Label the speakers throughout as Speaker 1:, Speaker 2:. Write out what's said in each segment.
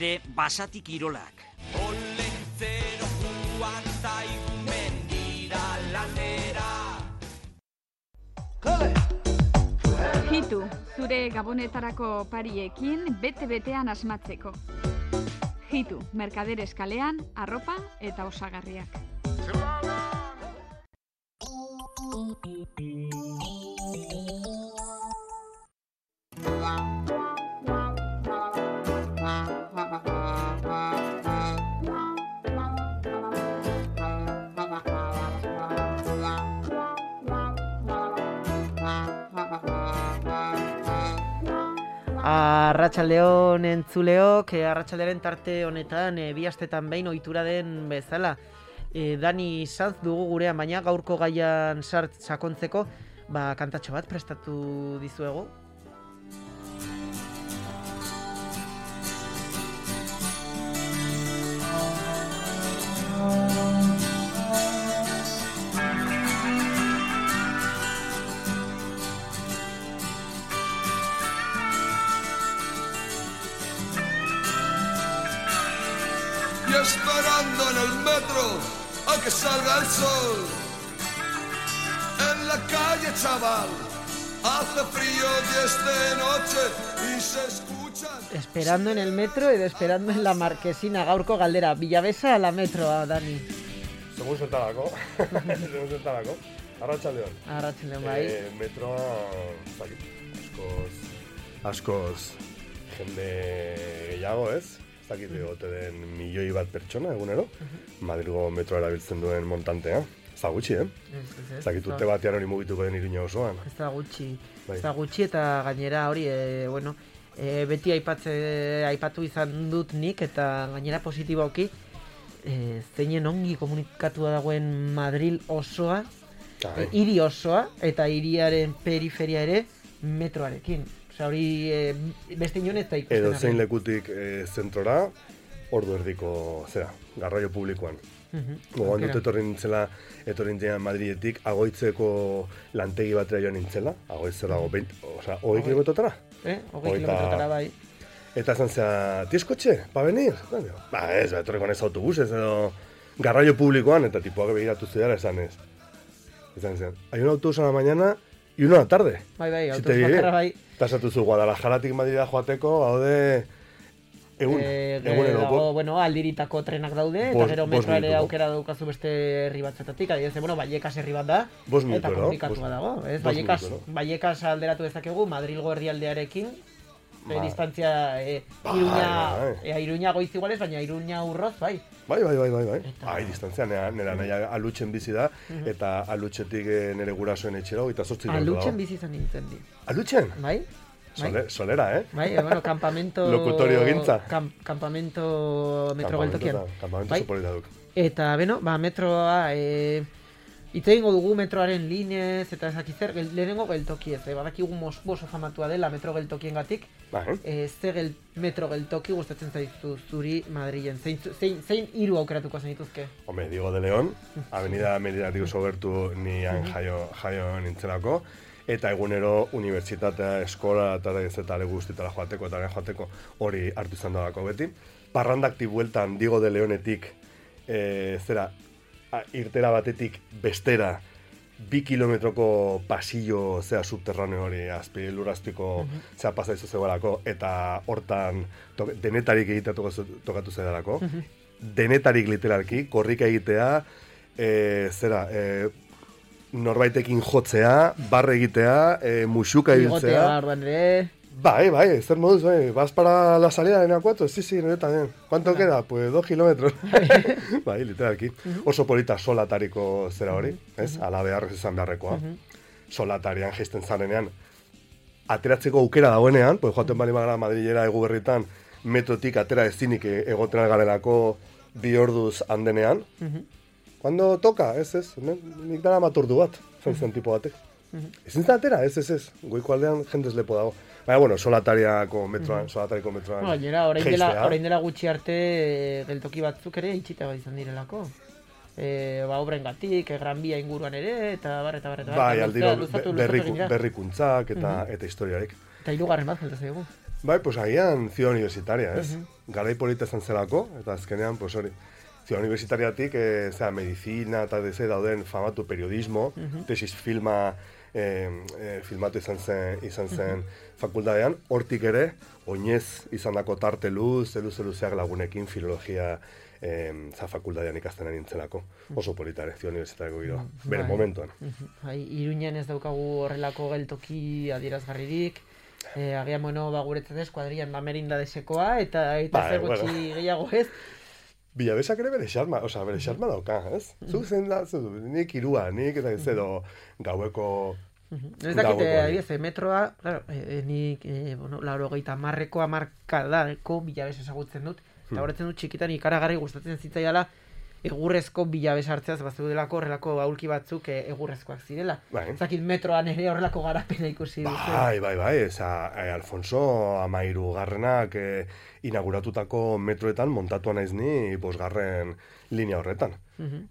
Speaker 1: Basatik Irolak.
Speaker 2: Olentzero joan zaigu mendira lanera.
Speaker 3: Hitu, zure gabonetarako pariekin bete-betean asmatzeko. Hitu, Mercaderes kalean, arropa eta osagarriak.
Speaker 4: Arratsaldeon entzuleok, arratsaldearen tarte honetan bi astetan behin ohitura den bezala Dani Sanz dugu gurean, baina gaurko gaian sakontzeko kantatxo bat prestatu dizuegu.
Speaker 5: Y esperando en el metro a que salga el sol. En la calle, chaval, hace frío y es de noche y se escuchan.
Speaker 4: Esperando en el metro edo esperando en la marquesina, gaurko galdera, Villavesa ala metroa, Dani?
Speaker 6: Segun zertarako. Arratsaldeon.
Speaker 4: Arratsaldeon bai.
Speaker 6: Metroa, askoz jende gehiago, ez? Ez dakit egote den milioi bat pertsona egunero, Madrilgo metroa erabiltzen duen montantea. Ez da gutxi, Ez dakit urte batean hori mugituko den Iruña osoan.
Speaker 4: Ez da gutxi eta gainera hori, beti aipatu izan dut nik eta gainera positiboki, zeinen ongi komunikatua dagoen Madril osoa, hiri osoa eta hiriaren periferia ere metroarekin. Hori beste inon ez da ikusten.
Speaker 6: Edo zein lekutik zentrora, ordu erdiko, garraio publikoan. Gogoan dut etorri nintzela Madridetik, Agoitzeko lantegi batera joan nintzela, Agoitzera 20 kilometrotara?
Speaker 4: 20 kilometrotara bai.
Speaker 6: Eta esan zera, ¿tienes coche? ¿Pa venir? Ez, etorri konez autobuses edo garraio publikoan, eta tipoak begiratu zidara esan ez. Esan zen, hay un autobus a la mañana y uno a la tarde.
Speaker 4: Bai, autobus bakarra bai.
Speaker 6: Tasatu zu Guadalajaratik Madrida joateko, haude egunero.
Speaker 4: Bueno, aldiritako trenak daude, eta gero metroare aukera daukazu beste herri batzetatik, adibidez, Vallecas herri bat da, eta komunikatua dago. Vallecas alderatu dezakegu, Madrilgo herrialdearekin, distantzia Iruña goiz igualez, baina Iruña urroz, bai. Bai, distantzia nera nahi Alutxen bizi da, eta Alutxetik nere gurasoen etxera, eta 8 kilometro dago. Alutxen bizi izan nintzen di. Alutxen? Bai. Solera, Bai, campamento... Locutorio gintza. Campamento metro geltokian. Campamento soporita duk. Eta, metroa... Itz egingo dugu metroaren linez, eta ezakitzer, lehenengo geltoki ez, badakigu oso famatua dela metro geltokien gatik, ze metro geltoki gustatzen zaizu zuri Madrilen, zein hiru aukeratuko zenituzke? Hombre, Diego de León, Avenida Meridatik oso gertu nian jaio nintzelako, eta egunero unibertsitatea, eskola, eta leguztitara joateko hori hartu izan dalako beti. Parrandakti bueltan Diego de Leonetik, irtera batetik bestera 2 kilometroko pasillo subterraneo hori lurrazpiko pasaizu zegoelako eta hortan denetarik egitea tokatu zegoelako. Denetarik literalki, korrika egitea, norbaitekin jotzea, barre egitea, musuka ibiltzea. Bai, zer moduz, vas para la salida de la 4? Sí, nire también. ¿Cuánto queda? Pues 2 kilómetros. Bai, literalki. Oso polita solatariko zera hori, ez? Ala beharrez izan beharrekoa. Solatarian jaisten zarenean. Ateratzeko aukera dagoenean, pues joaten bali magara Madrilera Eguberritan, metrotik atera ezinik egoten algarelako 2 orduz handenean. Cuando toca, ez, nik dara maturdu bat, zen tipo batek. Ezin zatera, ez, goiko aldean jendez lepo dago. Baina, solatariko metroan gainera, orain dela gutxi arte geltoki batzuk ere itxita izan direlako. Obren gatik, Gran Bia inguruan ere, eta
Speaker 6: bai, aldiro berrikuntzak eta historiarek.
Speaker 4: Eta hirugarren bat, falta zaigu.
Speaker 6: Bai, pues agian Ciudad Universitaria, ez? Garai polita izan zelako, eta azkenean, pues hori, Ciudad Universitariatik, medizina eta dauden famatu periodismo, tesis filmatu izan zen fakultatean, hortik ere, oinez izandako tarte luzeak lagunekin filologia fakultatean ikasten ari nintzelako. Oso polita ere, Ciudad Universitariako giroa, bere momentuan.
Speaker 1: Iruñen ez daukagu horrelako geltoki adierazgarririk, agian, guretzat ez, kuadrian Merinda desekoa, eta zer gutxi gehiago ez.
Speaker 6: Bilabesak ere bere xarma dauka, ez? Zuk zen da, nik irua, nik eta ez edo gaueko...
Speaker 1: Ez dakite, metroa, nik, 80ko hamarkadako bilabes ezagutzen dut, eta horretzen dut txikitan ikaragarri gustatzen zitzaiala egurrezko bilabes hartzeaz, bazeudelako horrelako aulki batzuk egurrezkoak zirela. Zakit metroan ere horrelako garapena ikusi duzu.
Speaker 6: Bai, Alfonso Amairugarrenak inauguratutako metroetan montatuan naiz ni 5. linea horretan.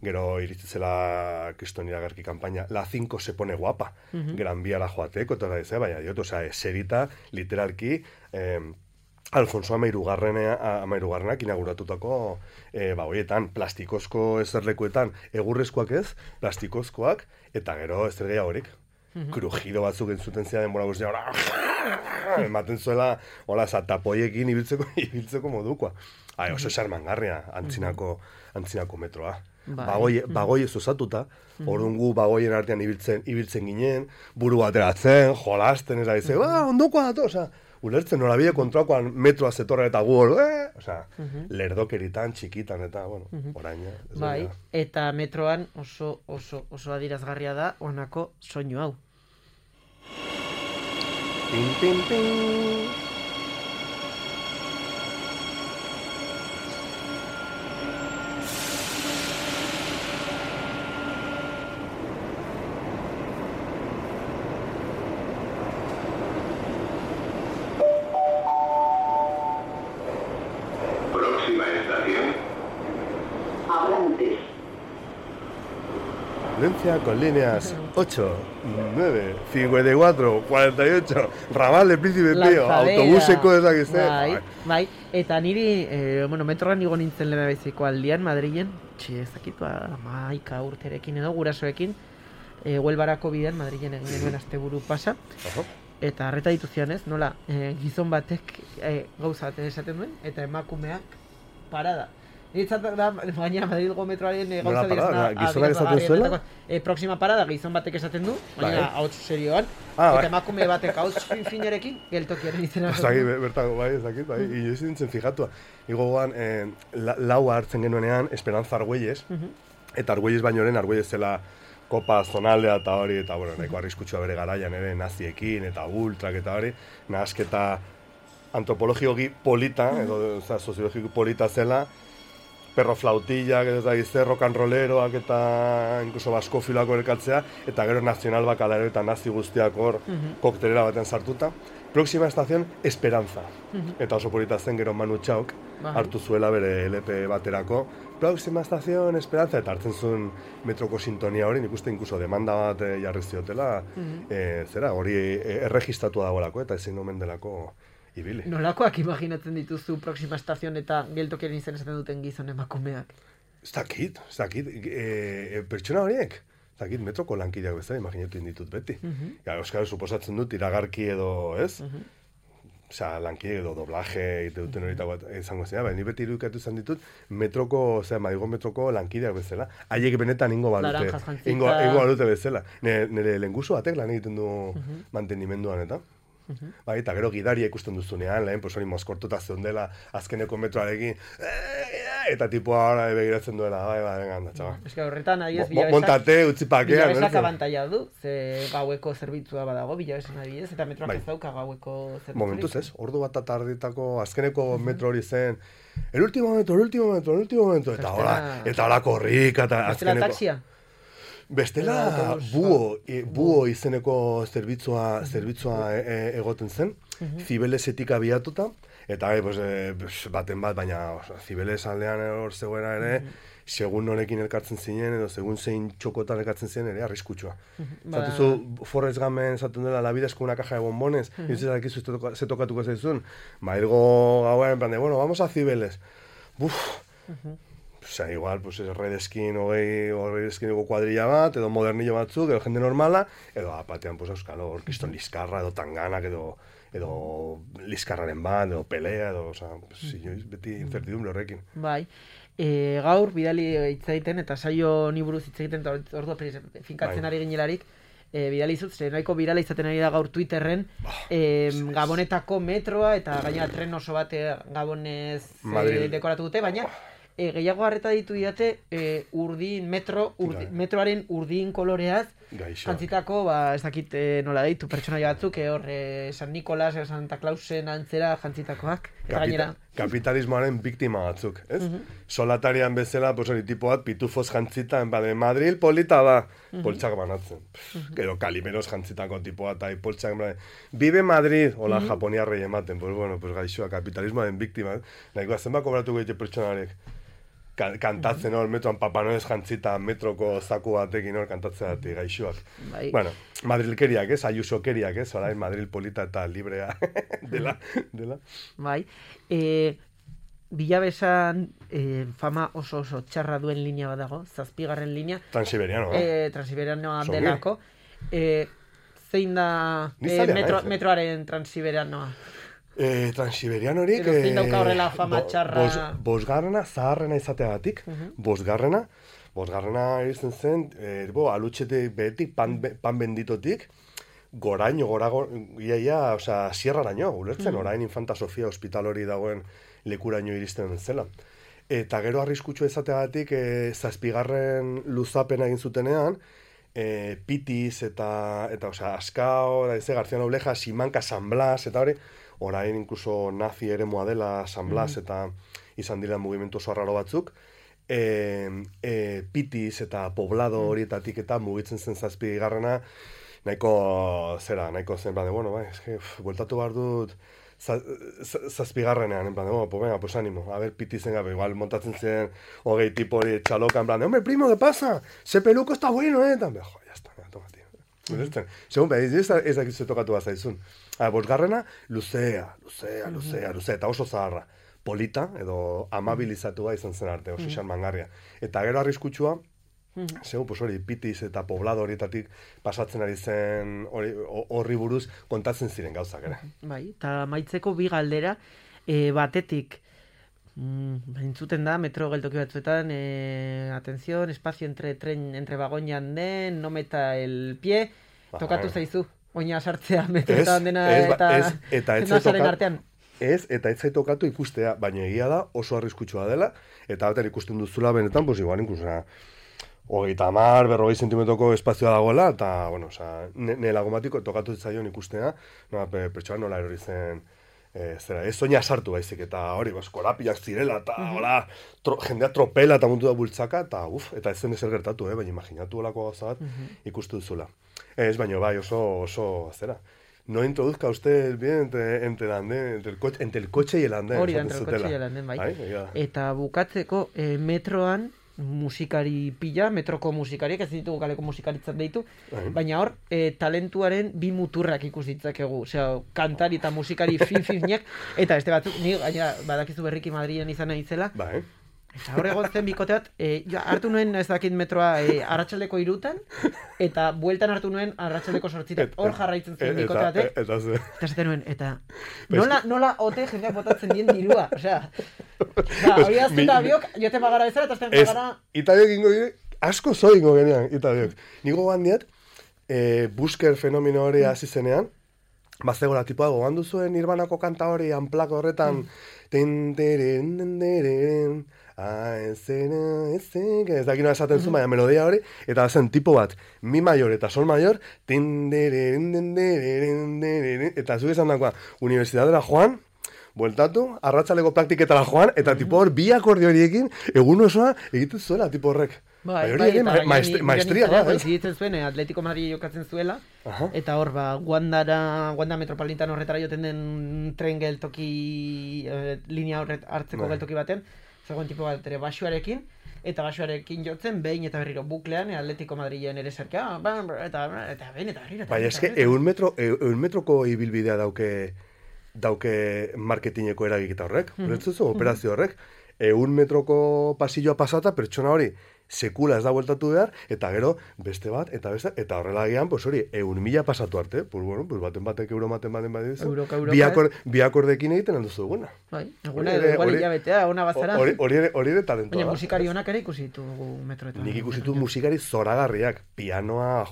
Speaker 6: Gero iritzela kriston iragarki kanpaina, la 5 se pone guapa, Gran Biara joateko, eta baina diot, eserita, literalki, Alfonso Amairugarrenak inauguratutako horietan, plastikozko ezerlekuetan, egurrezkoak ez, plastikozkoak, eta gero ezer gehiagorik. Krujido batzuk entzuten zia denbora guztia, ematen zuela, tapoiekin ibiltzeko modukoa. Oso xarmangarria antzinako metroa. Bagoi ez osatuta, orduan gu bagoien artean ibiltzen ginen, buru bateratzen, jolasten, ondokoa dato, ulertzen norabide kontrakoan metroa zetorra eta gu hor, lerdokeritan, txikitan, eta, orain.
Speaker 1: Bai, eta metroan oso adierazgarria da honako soinu hau.
Speaker 6: Pin, pin, pin. Con líneas 8, 9, 54, 48, ramal de Príncipe Pío, autobuseko ezakizte.
Speaker 1: Bai, eta niri, metroan igo nintzen lehen beziko aldian, Madrilen, ezakitu, 11 urterekin edo, gurasoekin, Huelbarako bidean, Madrilen egin genuen asteburu pasa, eta harreta dituzian ez, nola, gizon batek gauza bat esaten duen, eta emakumeak parada. Niretzat da, baina Madrilgo metroaren gauza direzna...
Speaker 6: Gizonak esaten zuela?
Speaker 1: Proxima parada, gizon batek esaten du, baina hauts serioan, eta emakume batek hauts finarekin, geltokiaren izena.
Speaker 6: Bertako, ez dakit, inoiz nintzen fijatua. Igoan, laua hartzen genuenean, Esperanza Argüelles, eta Argüelles bainoren, Argüelles zela kopa zonaldea eta hori, eta nahiko arriskutsua bere garaian ere, naziekin, eta ultrak eta hori, nahasketa antropologioki polita, edo soziologiko polita zela, perro flautillak, eta rock and rolleroak, eta incluso baskofiloak elkatzea, eta gero nazional bakalero eta nazi guztiak hor koktelera baten sartuta. Próxima estación, Esperanza. Eta oso polita zen gero Manu Txauk hartu zuela bere LP baterako. Próxima estación, Esperanza, eta hartzen zuen metroko sintonia hori, nik uste incluso demanda bat jarri ziotela, hori erregistratu dagoelako, eta ezin omen delako ibili.
Speaker 1: Nolakoak imaginatzen dituzu Próxima estación eta geltokiaren izen esaten duten gizon emakumeak?
Speaker 6: Ez dakit, pertsona horiek. Ez dakit, metroko lankideak bezala imaginatu ditut beti. Euskal suposatzen dut iragarki edo, ez? Lankide edo doblaje egite duten hori izango zena, baina ni beti irudikatu izan ditut Madrigo metroko lankideak bezala. Haiek benetan ingo balute bezala. Nire lengusu batek lan egiten du mantenimenduan eta. Eta gero gidaria ikusten duzunean, lehen hori mozkortuta zeundela azkeneko metroarekin, eta tipoa begiratzen duela, venga, txaba.
Speaker 1: Ez que horretan,
Speaker 6: montate, utzipakea.
Speaker 1: Bilabesak abantaia du, ze gaueko zerbitzua badago, bilabesan adibidez, eta metroak ez dauka gaueko zerbitzurik.
Speaker 6: Momentuz ez, ordu bat atarditako azkeneko metro hori zen, el último momento, eta hola korrika, eta azkeneko...
Speaker 1: Bestela taxia?
Speaker 6: Bestela buo izeneko zerbitzua egoten zen, Zibelesetik abiatuta, Eta baten bat, baina Zibeles aldean hor zegoena ere, segun norekin elkartzen zinen, edo segun zein txokotan elkartzen zinen ere, arriskutsua. Zatuzu, Forrest Gumpen zaten dela, la vida es una caja de bombones, y ez dakizu ze tokatuko zaizun, hilgo gauen, en plan de, bueno, vamos a Zibeles. Osea, igual, pues redeskin redeskineko kuadrilla bat, edo modernillo batzuk, edo jende normala, edo batean, pues euskalo, orkiston liskarra, edo tanganak, edo liskarraren bat, edo pelea, edo, osea, beti incertidumbre horrekin.
Speaker 1: Bai. Gaur, bidali hitzaiten, eta saio ni buruz hitzaiten, eta ordua finkatzen ari ginelarik, bidali izut, nahiko birala izaten ari da gaur Twitterren, Gabonetako metroa, eta gainera tren oso bat Gabonez dekoratu dute, baina gehiago harreta ditu didate metroaren urdin koloreaz, jantzitako, ez dakit nola deitu, pertsonaia batzuk, hor San Nikolas, Santa Clausen antzera jantzitakoak.
Speaker 6: Kapitalismoaren biktima batzuk, ez? Solatarian bezala, hori tipo bat, pitufos jantzita, Madril polita da, poltsak banatzen. Edo Kalimeros jantzitako tipo bat, poltsak banatzen. Vive Madrid, hola, japoniarrei ematen, gaixoa, kapitalismoaren biktima, nahikoa zenba kobratuko ditu pertsonarek. Kantatzen hor, metroan Papa Noel jantzita metroko zaku batekin hor kantatzea dati gaixoak. Bueno, Madrilkeriak, Ayusokeriak, orain Madril polita eta librea dela.
Speaker 1: Bai. Bilabesan fama oso txarra duen linea bat dago, 7. linea. Transiberianoa delako. Zein da metroaren Transiberianoa?
Speaker 6: Transiberianorik
Speaker 1: zein dauka horrela fama txarra?
Speaker 6: Bosgarrena, zaharrena izateagatik, bosgarrena izan zen, alutxetik behetik, pan benditotik, goraino, iaia, sierraraino, ulertzen, orain Infanta Sofia hospital hori dagoen lekuraino iristen zela. Eta gero arriskutsua izateagatik, 7. luzapena egin zutenean, Pitiz eta Askao, García Nobleja, Simanka, San Blas, eta hori, orain inkluso nazi ere moa dela San Blas eta izan dira mugimendu oso arraro batzuk. Pitiz eta Poblado horietatik eta mugitzen zen 7. nahiko zen, bueltatu behar dut 7. en plan de, venga, pues ánimo, a ver, Pitizen gabe, igual montatzen zen hogei tipo hori txaloka, en plan de, hombre, primo, ¿qué pasa? Ese peluco está bueno, También, ya está, toma, tío. Segun, ez dakizu tokatu bat zaizun. Bosgarrena, luzea, eta oso zaharra. Polita, edo amabilizatua izan zen arte, oso xarmangarria. Eta gero arriskutsua, hori, Pitiz eta Poblado horietatik pasatzen ari zen horri buruz kontatzen ziren gauzak ere.
Speaker 1: Bai, eta maitzeko bi galdera, batetik, entzuten da, metro geltoki batzuetan, atención, espacio entre vagón y andén, no meta el pie, tokatu zaizu, oina sartzea metroetan dena eta nazaren artean.
Speaker 6: Eta ez zaitokatu ikustea, baina egia da, oso arriskutsua dela, eta batean ikusten duzula benetan, igual inkluso, 30-40 zentimetroko espazioa dagoela, eta, nire lagomatiko tokatu zaion ikustea, pertsoan nola erori zen, ez soina sartu baizik, eta hori, korapiak zirela, eta jendea tropela eta mundu da bultzaka, eta ez zen ezer gertatu, baina imaginatu olako gauza bat ikustu duzula. Ez, baina bai, oso, no introduzca usted bien entre el coche y el andén.
Speaker 1: Hori da, entre el coche y el andén, bai. Eta bukatzeko, metroan, musikari pila, metroko musikariak, ez ditugu kaleko musikaritzat deitu, baina hor, talentuaren bi muturrak ikus ditzakegu, kantari eta musikari fin-finak, eta beste batzuk, ni gaina badakizu berriki Madrilen izan naizela, eta hor egon zen bikote bat, hartu nuen ez dakit metroa arratsaldeko 3:00, eta bueltan hartu nuen arratsaldeko 8:00, hor jarraitzen zen bikote batek, eta zaten nuen, eta nola ote jendeak botatzen dien dirua, hori azten da biok, jote magara bezala, eta azten magara...
Speaker 6: Itabiok ingo gire, asko zo ingo genean, Itabiok. Nigo gandiat, busker fenomeno hori hasi zenean, bazegoela tipoa gogandu zuen Nirvanako kanta hori, anplako horretan, ez dakit nola esaten zuen, baina melodia hori, eta zen tipo bat, mi mayor eta sol mayor, eta zuke esan dakoa, Universidadera joan, bueltatu, arratsaleko praktiketara joan, eta tipo hor, bi akordio horiekin, egun osoa egiten zuela, tipo horrek.
Speaker 4: maestria da.
Speaker 1: Zitzen zuen, Atletico Madrid jokatzen zuela, eta hor, Wanda Metropolitano horretara joten den tren geltoki, linea horret hartzeko geltoki baten, zegoen tipo bat ere basuarekin, eta basuarekin jotzen, behin eta berriro buklean, Atletico Madrilen ere zerkea, eta behin eta berriro.
Speaker 4: Bai, eske, 100 metroko ibilbidea dauke marketingeko eragiketa horrek, operazio horrek, 100 metroko pasilloa pasata, pertsona hori sekula ez da bueltatu behar, eta gero beste bat, eta horrela gian, pues hori, 100.000 pasatu arte, pues bueno, pues baten euro baten badizu, bi akordekin egiten handuzu duguna.
Speaker 1: Bai, eguna edo igual hilabetea, ona bazara.
Speaker 4: Hori ere talentoa.
Speaker 1: Baina musikari honak ere ikusi ditugu metroetan.
Speaker 4: Nik ikusi ditugu musikari zoragarriak, pianoa,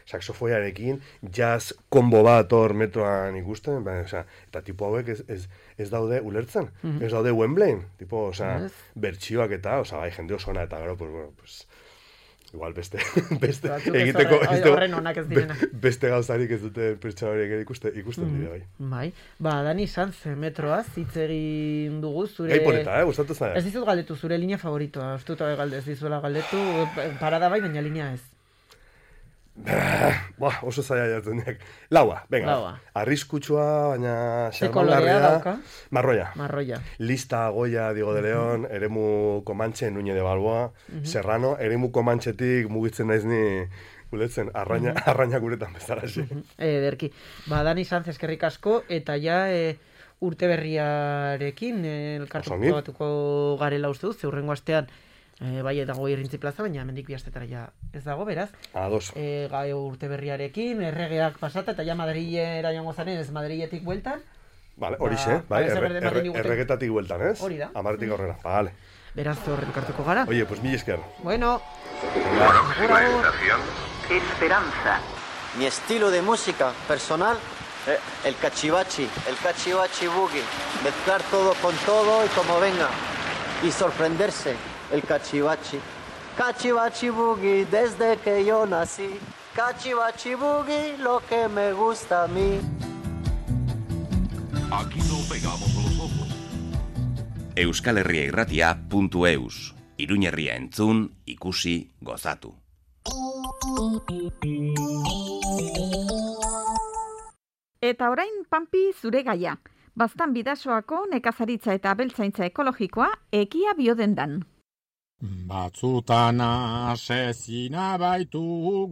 Speaker 4: saxofoiarekin, jazz kombo bat hor metroan ikusten, eta tipo hauek ez daude ulertzen, ez daude Wembleyn, tipo, bertsioak eta, bai, jende osona eta gero, pues igual beste egiteko beste gauzarik ez dute pertsona horiek ikusten dira,
Speaker 1: bai. Dani Sanz, metroaz hitz egin dugu zure...
Speaker 4: Gai polita, gustatu zara.
Speaker 1: Ez dizut galdetu, zure linea favoritoa, ustuta ez dizuela galdetu, parada bai, baina linea ez.
Speaker 4: Oso zaila jartzen diak. Laua, venga. Arriskutsua, baina
Speaker 1: xarmangarria.
Speaker 4: Marroia. Lista, Goya, Diego de León, eremu Comanche, Nuñe de Balboa, Serrano, eremu Comanchetik mugitzen naiz ni guletzen, arraina guretan bezala.
Speaker 1: Ederki. Dani Sanz, eskerrik asko, eta ja urte berriarekin elkartuko batuko garela uste duz, zeurrengo astean bai eta goi errintzi plaza, baina hemendik bi astetara ja ez dago, beraz. Gai urte berriarekin, erregeak pasata, eta ja Madrilera joango zaren, ez Madriletik bueltan.
Speaker 4: Vale, horixe, bai, erregetatik bueltan, ez?
Speaker 1: Hori da.
Speaker 4: Amaretik aurrera, vale.
Speaker 1: Beraz, horretik hartuko gara.
Speaker 4: Oye, pues mil esker.
Speaker 1: Bueno.
Speaker 7: Esperanza. Mi estilo de música personal, el cachivachi boogie. Mezclar todo con todo y como venga. Y sorprenderse. El cachivachi boogie desde que yo nací. Cachivachi boogie, lo que me gusta a mí.
Speaker 8: Aquí no pegamos los ojos.
Speaker 9: euskalherriairratia.eus Iruñerria entzun, ikusi, gozatu.
Speaker 3: Eta orain, Pampi, zure gaia. Baztan Bidasoako nekazaritza eta abeltzaintza ekologikoa ekia biodendan.
Speaker 10: Batzutan asezina baitugu